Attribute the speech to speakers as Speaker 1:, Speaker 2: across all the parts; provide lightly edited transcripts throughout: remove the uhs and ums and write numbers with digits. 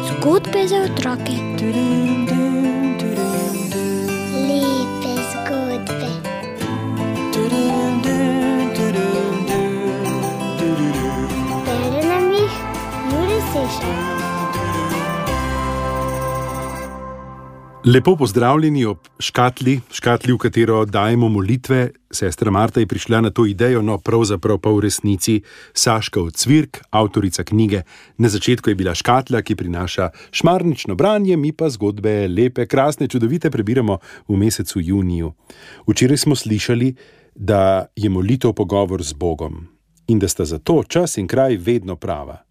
Speaker 1: Zgodbe za otroke.
Speaker 2: Lepe zgodbe. Bere nam jih Jure Sešar.
Speaker 3: Lepo pozdravljeni ob škatli, v katero dajemo molitve. Sestra Marta je prišla na to idejo, no pravzaprav pa v resnici Saška Ocvirk, avtorica knjige. Na začetku je bila škatla, ki prinaša šmarnično branje, mi pa zgodbe lepe, krasne, čudovite prebiramo v mesecu juniju. Včeraj smo slišali, da je molitev pogovor z Bogom in da sta zato čas in kraj vedno prava.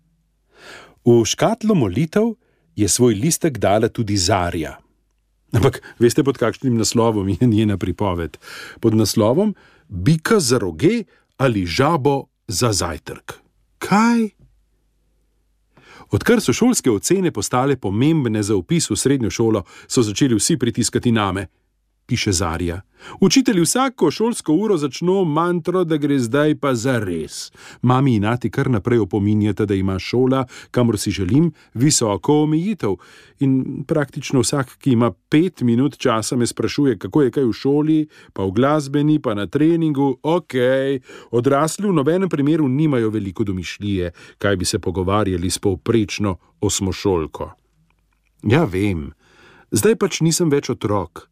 Speaker 3: V škatlo molitev je svoj listek dala tudi Zarja. Ampak veste, pod kakšnim naslovom je njena pripoved? Pod naslovom Bika za roge ali žabo za zajtrk. Kaj? Odkar so šolske ocene postale pomembne za vpis v srednjo šolo, so začeli vsi pritiskati name, piše Zarja. Učitelji vsako šolsko uro začno mantro, da gre zdaj pa za res. Mami in ati kar naprej opominjata, da ima šola, kamor si želim, visoko omejitev. In praktično vsak, ki ima 5 minut časa, me sprašuje, kako je kaj v šoli, pa v glasbeni, pa na treningu. Odrasli v nobenem primeru nimajo veliko domišljije, kaj bi se pogovarjali s povprečno osmošolko. Ja, vem, zdaj pač nisem več otrok.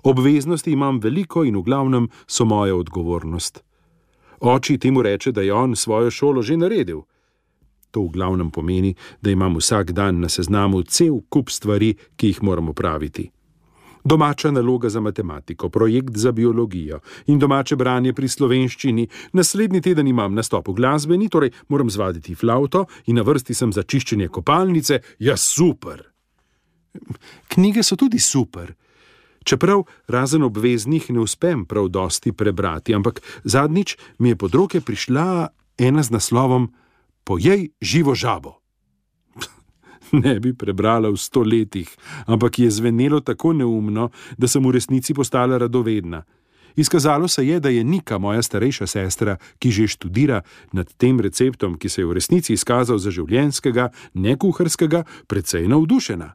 Speaker 3: Obveznosti imam veliko in v glavnem so moja odgovornost. Oči temu reče, da je on svojo šolo že naredil. To v glavnem pomeni, da imam vsak dan na seznamu cel kup stvari, ki jih moram opraviti. Domača naloga za matematiko, projekt za biologijo in domače branje pri slovenščini. Naslednji teden imam nastop v glasbeni, torej moram zvaditi flavto in na vrsti sem za čiščenje kopalnice. Ja, super! Knjige so tudi super. Čeprav razen obveznih ne uspem prav dosti prebrati, ampak zadnjič mi je pod roke prišla ena z naslovom Pojej živo žabo. Ne bi prebrala v 100 letih, ampak je zvenelo tako neumno, da sem v resnici postala radovedna. Izkazalo se je, da je Nika, moja starejša sestra, ki že študira nad tem receptom, ki se je v resnici izkazal za življenjskega, ne kuharskega, precej navdušena.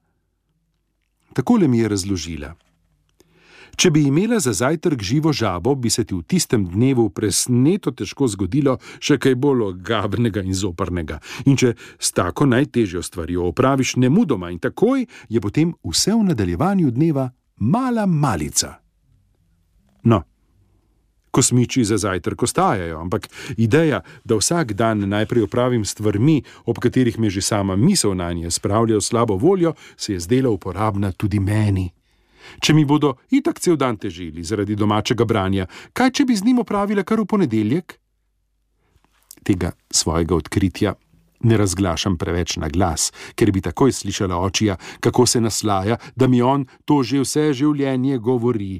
Speaker 3: Takole mi je razložila. Če bi imela za zajtrk živo žabo, bi se ti v tistem dnevu presneto težko zgodilo še kaj bolj ogabnega in zoprnega. In če s tako najtežjo stvarjo opraviš nemudoma in takoj, je potem vse v nadaljevanju dneva mala malica. No, kosmiči za zajtrk ostajajo, ampak ideja, da vsak dan najprej opravim stvarmi, ob katerih me že sama misel nanje spravlja v slabo voljo, se je zdela uporabna tudi meni. Če mi bodo itak cel dan težili zaradi domačega branja, kaj če bi z njim opravila kar v ponedeljek? Tega svojega odkritja ne razglašam preveč na glas, ker bi takoj slišala očija, kako se naslaja, da mi on to že vse življenje govori.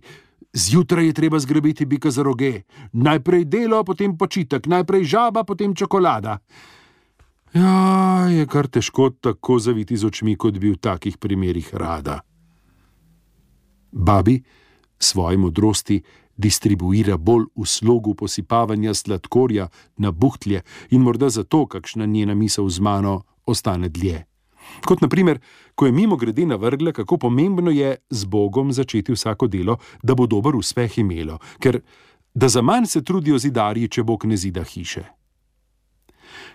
Speaker 3: Zjutraj je treba zgrabiti bika za roge. Najprej delo, potem počitek, najprej žaba, potem čokolada. Ja, je kar težko tako zaviti z očmi, kot bi v takih primerih rada. Babi svoje modrosti distribuira bolj v slogu posipavanja sladkorja na buhtlje in morda zato kakšna njena misel z mano ostane dlje. Kot na primer, ko je mimogrede navrgla, kako pomembno je z Bogom začeti vsako delo, da bo dober uspeh imelo, ker da za manj se trudijo zidarji, če Bog ne zida hiše.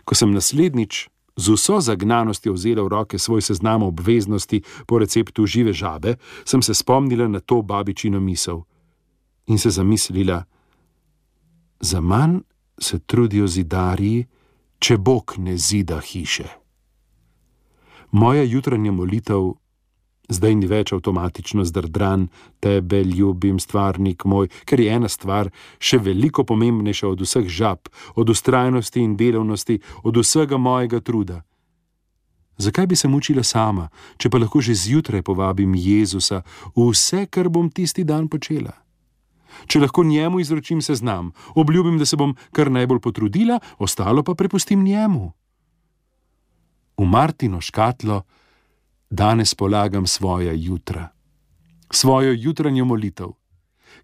Speaker 3: Ko sem naslednjič z vso zagnanostjo vzela v roke svoj seznam obveznosti po receptu žive žabe, sem se spomnila na to babičino misel in se zamislila, za manj se trudijo zidarji, če Bog ne zida hiše. Moja jutranja molitev zdaj ni več avtomatično zdrdran, tebe ljubim, stvarnik moj, ker je ena stvar še veliko pomembnejša od vseh žab, od vztrajnosti in delavnosti, od vsega mojega truda. Zakaj bi se mučila sama, če pa lahko že zjutraj povabim Jezusa v vse, kar bom tisti dan počela? Če lahko njemu izročim seznam, obljubim, da se bom kar najbolj potrudila, ostalo pa prepustim njemu. V Martino škatlo danes polagam svoja jutra, svojo jutranjo molitev,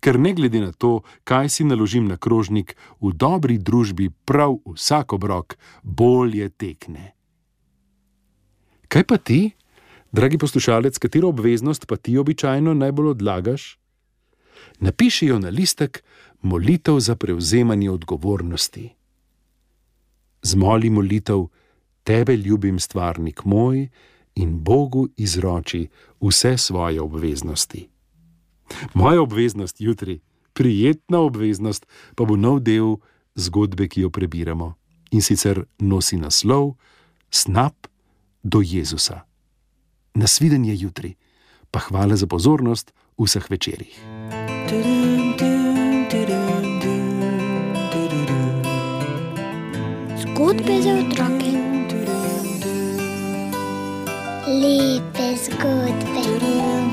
Speaker 3: ker ne glede na to, kaj si naložim na krožnik, v dobri družbi prav vsak obrok bolje tekne. Kaj pa ti, dragi poslušalec, katero obveznost pa ti običajno najbolj odlagaš? Napiši jo na listek molitev za prevzemanje odgovornosti. Zmoli molitev: Tebe ljubim, stvarnik moj, in Bogu izroči vse svoje obveznosti. Moja obveznost jutri, prijetna obveznost, pa bo nov del zgodbe, ki jo prebiramo, in sicer nosi naslov Snap do Jezusa. Nasvidenje jutri, pa hvala za pozornost v vseh večerih.
Speaker 1: Zgodbe za otroke.
Speaker 2: Lepe zgodbe.